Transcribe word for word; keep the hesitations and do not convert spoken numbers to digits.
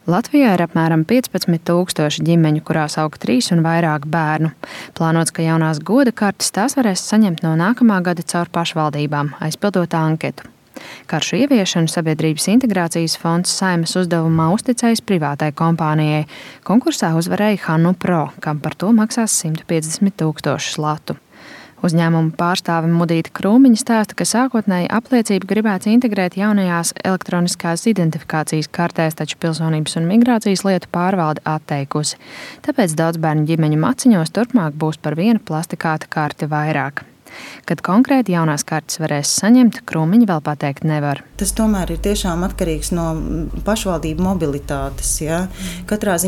Latvijā ir apmēram piecpadsmit tūkstoši ģimeņu, kurās aug trīs un vairāk bērnu. Plānots, ka jaunās goda kartes tās varēs saņemt no nākamā gada caur pašvaldībām, aizpildot anketu. Karšu ieviešanu Sabiedrības integrācijas fonds Saeimas uzdevumā uzticējis privātai kompānijai. Konkursā uzvarēja Hannu Pro, kam par to maksās simt piecdesmit tūkstošus latu. Uzņēmuma pārstāve Mudīte Krūmiņa stāsta, ka sākotnēji apliecību gribēts integrēt jaunajās elektroniskās identifikācijas kartēs, taču Pilsonības un migrācijas lietu pārvalde atteikusi. Tāpēc daudz bērnu ģimeņu maciņos turpmāk būs par vienu plastikāta karti vairāk. Kad konkrēti jaunās kartes varēs saņemt, Krūmiņa vēl pateikt nevar. Tas tomēr ir tiešām atkarīgs no pašvaldību mobilitātes. Ja? Katrā ziņā